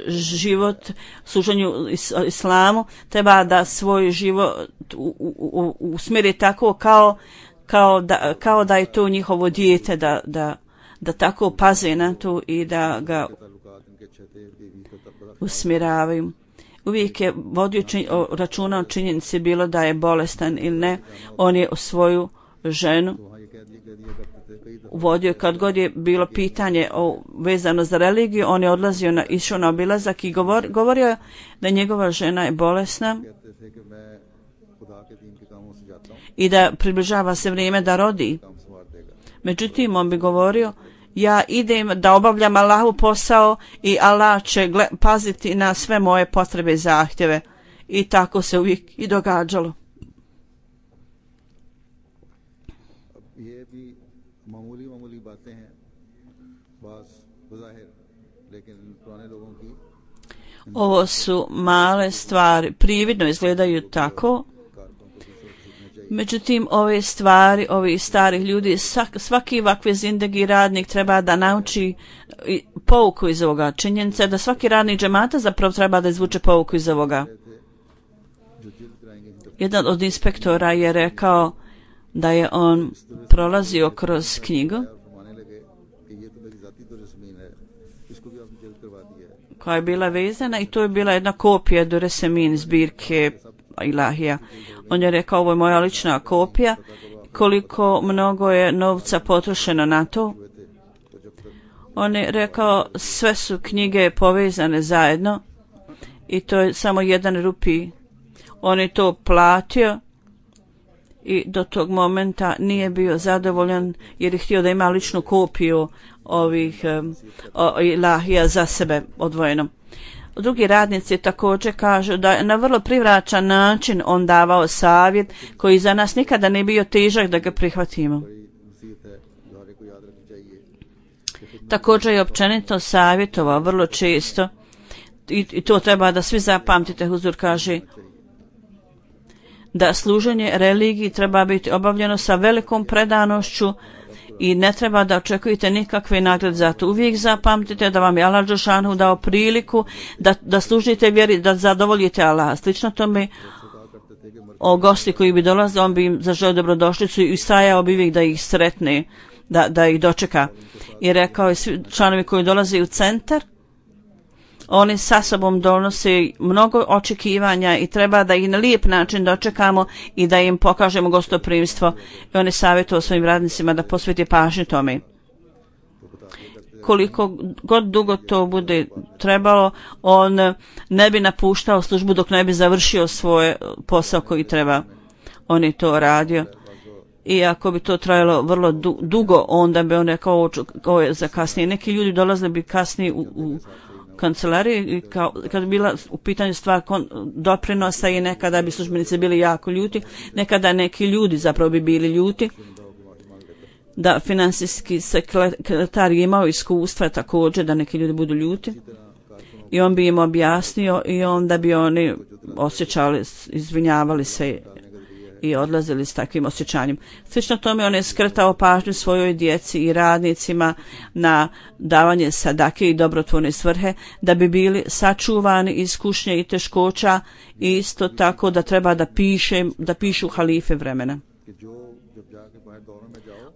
Speaker 2: život služenju islamu, treba da svoj život usmjeri tako kao da je to njihovo dijete, da tako paze na to i da ga usmjeravaju. Uvijek je vodio računa o činjenici bilo da je bolestan ili ne. On je svoju ženu vodio kad god je bilo pitanje vezano za religiju, on je odlazio išao na obilazak i govorio da njegova žena je bolesna i da približava se vrijeme da rodi. Međutim, on bi govorio, ja idem da obavljam Allahu posao i Allah će paziti na sve moje potrebe i zahtjeve. I tako se uvijek i događalo. Ovo su male stvari, prividno izgledaju tako. Međutim, ove stvari, ovi starih ljudi, svaki ovakve zindagi radnik treba da nauči pouku iz ovoga. Činjenica je da svaki radnik džemata zapravo treba da izvuče pouku iz ovoga. Jedan od inspektora je rekao da je on prolazio kroz knjigu koja je bila vezana i to je bila jedna kopija Duresemin zbirke Ilahija. On je rekao, ovo je moja lična kopija, koliko mnogo je novca potrošeno na to. On je rekao, sve su knjige povezane zajedno i to je samo 1 rupi. On je to platio i do tog momenta nije bio zadovoljan jer je htio da ima ličnu kopiju ovih ilahija za sebe odvojeno. Drugi radnici također kažu da je na vrlo privlačan način on davao savjet koji za nas nikada ne bio težak da ga prihvatimo. Također je općenito savjetovao vrlo često i to treba da svi zapamtite. Huzur kaže da služenje religiji treba biti obavljeno sa velikom predanošću i ne treba da očekujete nikakve nagrade za to. Uvijek zapamtite da vam je Allah dželešanu dao priliku da služite vjeri, da zadovoljite Allah. Slično tome o gosti koji bi dolazili, on bi im zaželio dobrodošlicu i stajao bi uvijek da ih sretne, da ih dočeka. I rekao je svi članovi koji dolaze u centar, oni sa sobom donose mnogo očekivanja i treba da ih na lijep način dočekamo i da im pokažemo gostoprimstvo. I on je savjetovao svojim radnicima da posveti pažnju tome. Koliko god dugo to bude trebalo, on ne bi napuštao službu dok ne bi završio svoj posao koji treba. On je to radio. I ako bi to trajalo vrlo dugo, onda bi on rekao ovo je za kasnije. Neki ljudi dolazili bi kasnije u kancelariji i kad bi bila u pitanju stvar doprinosa i nekada bi službenici bili jako ljuti, nekada neki ljudi zapravo bi bili ljuti, da finansijski sekretar je imao iskustva također da neki ljudi budu ljuti i on bi im objasnio i onda bi oni osjećali, izvinjavali se i odlazili s takvim osjećanjem. Slično tome on je skretao pažnju svojoj djeci i radnicima na davanje sadake i dobrotvorne svrhe da bi bili sačuvani iz kušnje i teškoća i isto tako da treba da pišu halife vremena.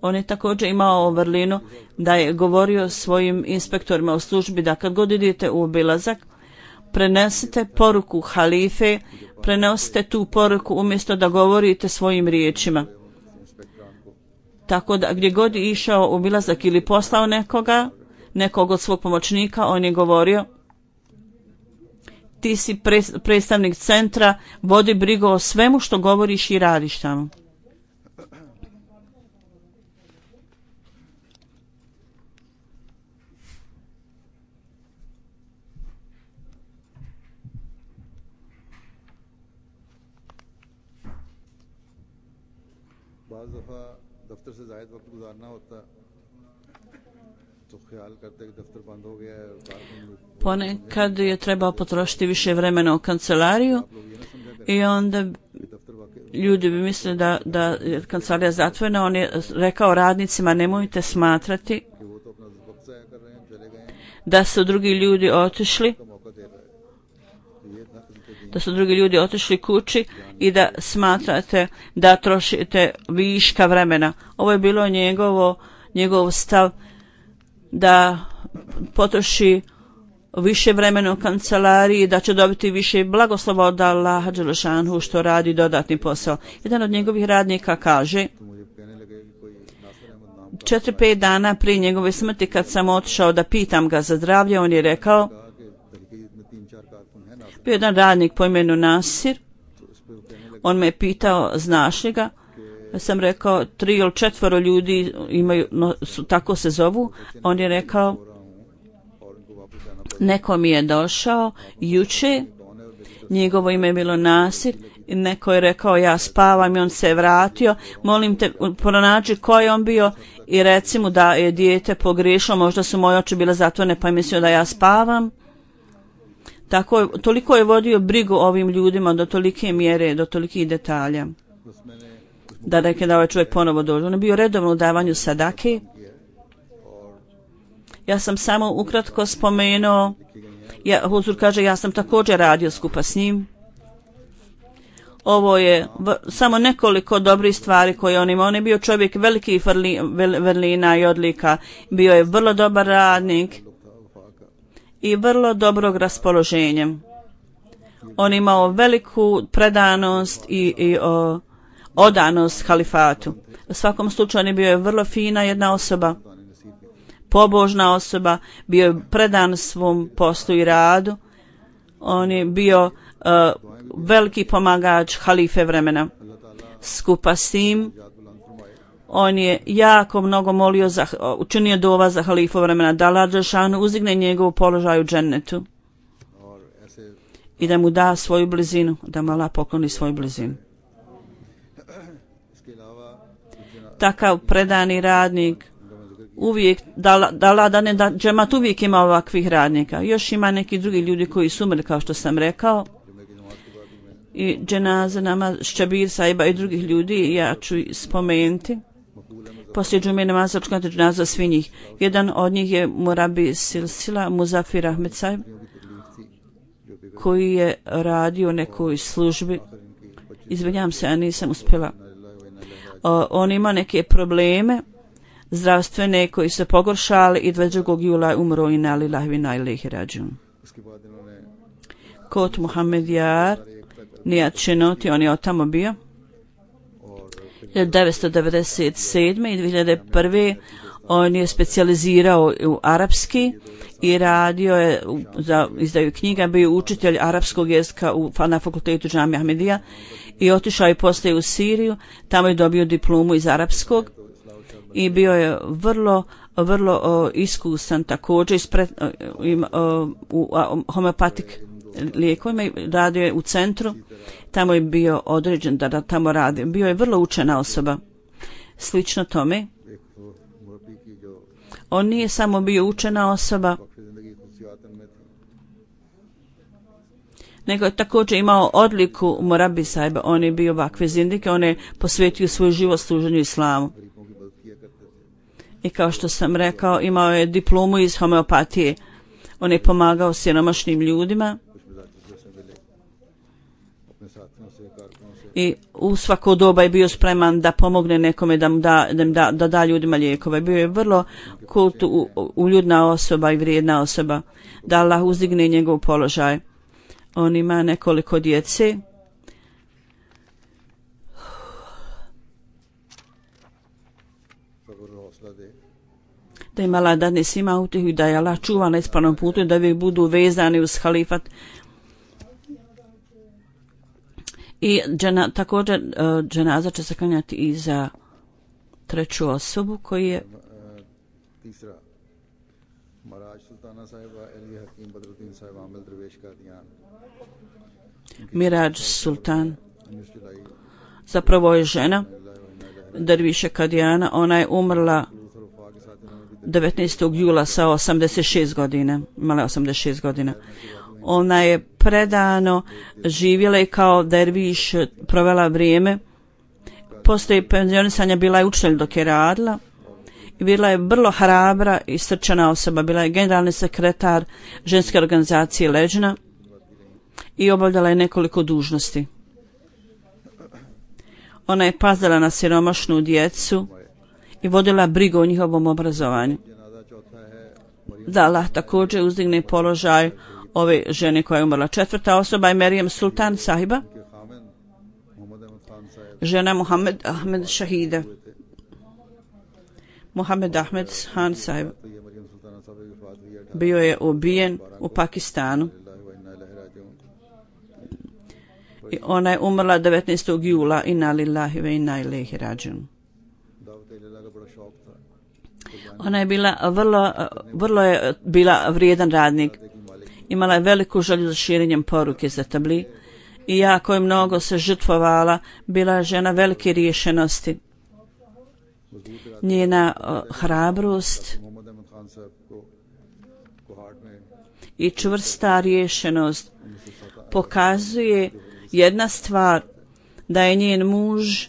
Speaker 2: On je također imao vrlinu da je govorio svojim inspektorima u službi da kad god idete u obilazak prenesite poruku halife, prenosite tu poruku umjesto da govorite svojim riječima. Tako da gdje god je išao u obilazak ili poslao nekog od svog pomoćnika, on je govorio ti si predstavnik centra, vodi brigu o svemu što govoriš i radiš tamo.
Speaker 1: दफ्तर से ज़ायद वक्त गुजारना होता तो ख्याल करते कि दफ्तर बंद हो गया है.
Speaker 2: Ponekad je trebao potrošiti više vremena u kancelariju i onda ljudi bi mislili da je kancelarija zatvorena. On je rekao radnicima nemojte smatrati da su drugi ljudi otišli kući i da smatrate da trošite viška vremena. Ovo je bilo njegov stav da potroši više vremena u kancelariji, da će dobiti više blagoslova od Allaha dželešanu što radi dodatni posao. Jedan od njegovih radnika kaže 4-5 dana prije njegove smrti kad sam otišao da pitam ga za zdravlje, on je rekao, bio jedan radnik po imenu Nasir, on me je pitao znaš li ga, ja sam rekao 3 ili 4 ljudi imaju, tako se zovu, on je rekao neko mi je došao juče, njegovo ime je bilo Nasir, i neko je rekao ja spavam i on se je vratio, molim te pronađi ko je on bio i reci mu da je dijete pogriješilo, možda su moje oči bile zatvorene pa je mislio da ja spavam. Toliko je vodio brigu ovim ljudima do tolike mjere, do tolikih detalja. Da reke da ovaj čovjek ponovo dođe. On je bio redovno u davanju sadake. Ja sam samo ukratko spomenuo, Huzur kaže ja sam također radio skupa s njim. Ovo je samo nekoliko dobrih stvari koje on ima. On je bio čovjek velikih vrlina i odlika. Bio je vrlo dobar radnik i vrlo dobrog raspoloženja. On imao veliku predanost i odanost halifatu. U svakom slučaju on je bio vrlo fina jedna osoba, pobožna osoba, bio je predan svom poslu i radu. On je bio veliki pomagač halife vremena. Skupa s tim,
Speaker 1: याद बुलंद फरमाए।
Speaker 2: on je jako mnogo molio, učinio dova za halifu vremena, da Allah dželešanu uzdigne njegov položaj u džennetu
Speaker 1: और ऐसे
Speaker 2: i da mu da svoju blizinu, da mu Allah pokloni svoju blizinu.
Speaker 1: इसके अलावा
Speaker 2: Takav predani radnik uvijek, da džemat uvijek ima ovakvih radnika. Još ima neki drugi ljudi koji su umrli, kao što sam rekao,
Speaker 1: जुमे की नमाज के बाद भी मैं
Speaker 2: i dženaza namaz Ščabir Saiba i drugih ljudi, ja ću spomenuti.
Speaker 1: Maqbool Ahmad
Speaker 2: Poslije džume namaza očekati dženaza svi njih. Jedan od njih je Murabi Silsila Muzafir Ahmed Saib,
Speaker 1: की तकलीफ थी जो भी
Speaker 2: koji je radio u nekoj službi.
Speaker 1: इनकी
Speaker 2: Izvinjam se, a nisam uspjela.
Speaker 1: Allah
Speaker 2: On ima neke probleme zdravstvene koji se pogoršali i 22. jula je umro i na lillahi wa inna ilaihi rađun.
Speaker 1: उसके बाद इन्होंने
Speaker 2: Kod Muhammed Jar, Nijat Čenoti, on je od tamo bio.
Speaker 1: और
Speaker 2: 1997. i 2001. on je specijalizirao u arapski i radio je za izdaju knjiga, bio je učitelj arapskog jezika na fakultetu Džamija Ahmedija i otišao je poslije u Siriju, tamo je dobio diplomu iz arapskog i bio je vrlo iskusan također u homeopatik lijekovima i radio je u centru, tamo je bio određen da tamo radi. Bio je vrlo učena osoba. Slično tome,
Speaker 1: एक तो मुरब्बी की जो
Speaker 2: on nije samo bio učena osoba,
Speaker 1: वक्फ जिंदगी खुशियातन में थी,
Speaker 2: nego je također imao odliku Murabi Saiba. On je bio vakve zindike, on je posvetio svoj život služenju islamu.
Speaker 1: गरीबों की मदद किया करते थे।
Speaker 2: I kao što sam rekao, imao je diplomu iz homeopatije. On je pomagao siromašnim ljudima
Speaker 1: कुछ मिजाज से मिले अपने साथियों से, कारकुनों से,
Speaker 2: i u svako doba je bio spreman da pomogne nekome, da da ljudima lijekove. Bio je vrlo uljudna osoba i vrijedna osoba, da Allah uzdigne njegov položaj. On ima nekoliko djece.
Speaker 1: सब्र और हौसला दे।
Speaker 2: Da im Allah dadne svima utjehu i da je Allah čuva na ispravnom putu i da uvijek budu vezani uz halifat. I također dženaza će se klanjati i za treću osobu koji je
Speaker 1: तीसरा महाराज सुल्ताना साहिबा अली हकीम बदरुद्दीन साहिब आमिल दरवेश Kadian
Speaker 2: Mirađ Sultan.
Speaker 1: 19 जुलाई
Speaker 2: Zapravo je žena Derviše Kadijana. Ona je umrla
Speaker 1: और वफा के साथ इन्होंने भी
Speaker 2: 19. jula sa 86 godina. Imala je 86 godina. Ona je predano živjela i kao derviš provela vrijeme. Poslije penzionisanja bila je učitelj dok je radila. I bila je vrlo hrabra i srčana osoba. Bila je generalni sekretar ženske organizacije Leđna i obavljala je nekoliko dužnosti. Ona je pazila na siromašnu djecu i vodila brigu o njihovom obrazovanju.
Speaker 1: जनाजा चौथा है
Speaker 2: Da Allah također uzdigne položaj ove žene koja je umrla. Četvrta osoba je Merijem Sultan Sahiba,
Speaker 1: के खामिन मोहम्मद अहमद खान साहब
Speaker 2: žena Muhammed Ahmed Šahida. Muhammed Ahmed Khan Sahib
Speaker 1: तो ये मरियम सुल्ताना साहब की वफात हुई है
Speaker 2: bio je ubijen u Pakistanu
Speaker 1: अल्लाह व इन्ना इलैहि राजिऊन।
Speaker 2: i ona je umrla 19. jula inna lillahi wa inna ilaihi rađun.
Speaker 1: दावत इलाही का बड़ा शौक था।
Speaker 2: Ona je bila vrlo je bila vrijedan radnik. Imala je veliku želju za širenjem poruke za tabli i jako je mnogo se žrtvovala. Bila je žena velike riješenosti. Njena hrabrost
Speaker 1: Mohammad अहमद खान साहब को कोहाट में
Speaker 2: i čvrsta riješenost pokazuje jedna stvar, da je njen muž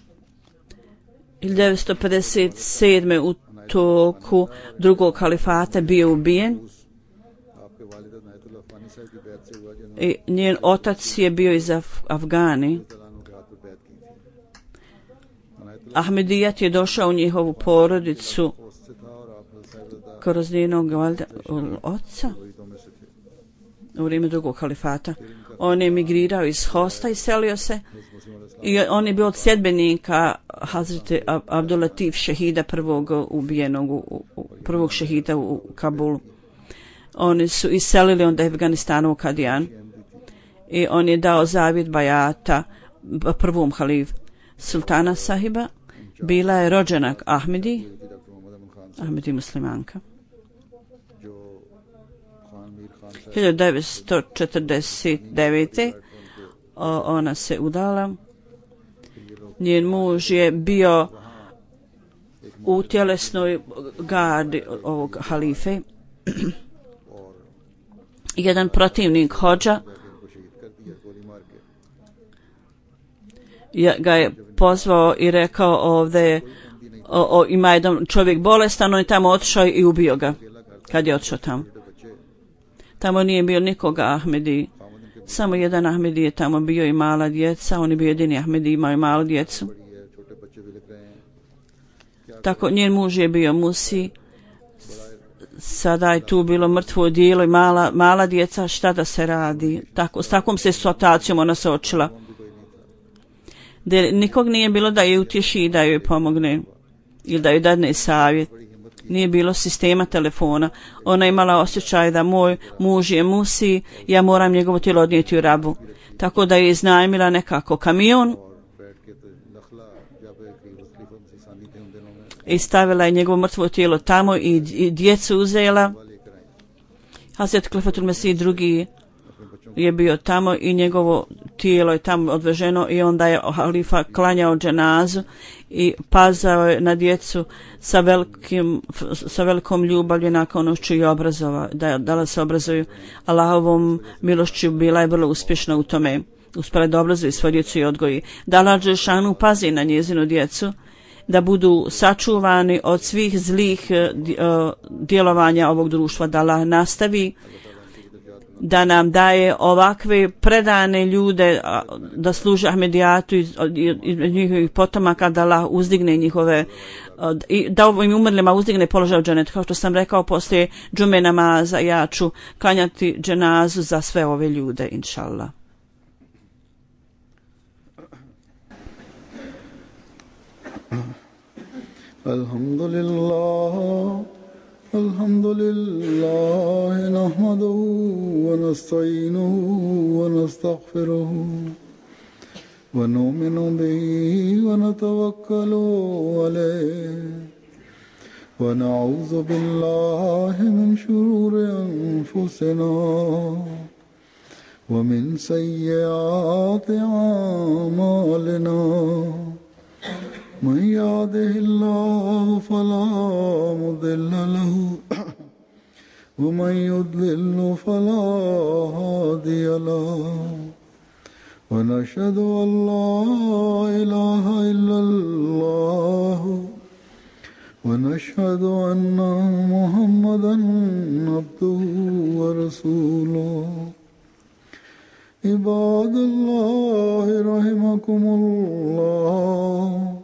Speaker 2: 1957. u toku drugog kalifata bio ubijen
Speaker 1: आपके वालिद नायतुल्लाह फानी साहब की बैत से हुआ जिन्होंने
Speaker 2: i njen otac je bio iz Afgani.
Speaker 1: तलानों के हाथ पर बैत की थी। Inayatullah
Speaker 2: Ahmedijat je došao u njihovu porodicu
Speaker 1: post से था और आप साहिब
Speaker 2: kroz njenog oca
Speaker 1: तो में से थे।
Speaker 2: u vrijeme drugog kalifata. On je emigrirao iz Hosta i selio se i on je bio od sljedbenika Hazreti Abdulatif šehida, prvog ubijenog, prvog šehida u Kabulu. Oni su iselili onda Afganistanu u Kadijan i on je dao zavjet bajata prvom halifu. sultana sahiba bila je rođenak Ahmedi,
Speaker 1: doctor Mohammad Aman Khan sahab
Speaker 2: Ahmedi muslimanka.
Speaker 1: जो खान मीर खान साहब
Speaker 2: 1949. Ona se udala. Njen muž je bio u tjelesnoj gardi ovog halife. Jedan protivnik hođa
Speaker 1: को शहीद कर दिया गोली मार के
Speaker 2: ga je pozvao i rekao ovdje ima jedan čovjek bolestan, on je tamo otišao i ubio ga kad je otišao tamo. Tamo nije bio nikoga Ahmedi, samo jedan Ahmedi je tamo bio i mala djeca, on je bio jedini Ahmedi, imao je malu djecu.
Speaker 1: छोटे बच्चे भी लिख रहे हैं
Speaker 2: Tako njen muž je bio musi, sada je tu bilo mrtvo dijelo i mala djeca, šta da se radi. S takvom se situacijom ona se očila. Nikog nije bilo da je utješi i da joj pomogne ili da joj dadne savjet. Nije bilo sistema telefona. Ona imala osjećaj da moj muž je musi, ja moram njegovo tijelo odnijeti u Rabu. Tako da je iznajmila nekako kamion i stavila je njegovo mrtvo tijelo tamo i djecu uzela. Hazret Klefatul Mesih drugi je bio tamo i njegovo tijelo je tamo odveženo i onda je halifa klanjao dženazu i pazao je na djecu sa velikom ljubavlju i naklonošću i da se obrazuju. Allahovom milošću bila je vrlo uspješna u tome. Uspjela da obrazuje svoju djecu i odgoji. Da Allah dželešanu pazi na njezinu djecu, da budu sačuvani od svih zlih djelovanja ovog društva, da Allah nastavi da nam daje ovakve predane ljude da služe Ahmedijatu i njihovih potomaka, da Allah uzdigne njihove i da ovim umrlima uzdigne položaj u dženetu. Kao što sam rekao, poslije džume namaza ja ću klanjati dženazu za sve ove ljude, inšallah.
Speaker 1: الحمد لله نحمده ونستعينه ونستغفره ونؤمن به ونتوكل عليه ونعوذ بالله من شرور أنفسنا ومن سيئات أعمالنا من يهده الله فلا مضل له ومن يضلل فلا هادي له ونشهد أن لا إله إلا الله ونشهد أن محمدا عبده ورسوله عباد الله رحمكم الله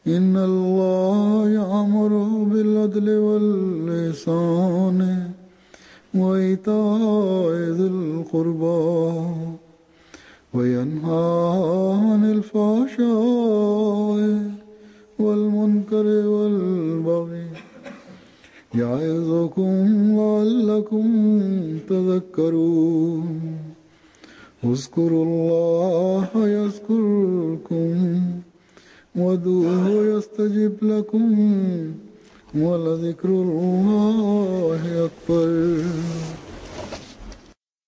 Speaker 1: إن الله يأمر بالعدل والإحسان وإيتاء ذي القربى وينهى عن الفحشاء والمنكر والبغي يعظكم لعلكم تذكرون اذكروا الله يذكركم وادعوه يستجب لكم ولذكر الله أكبر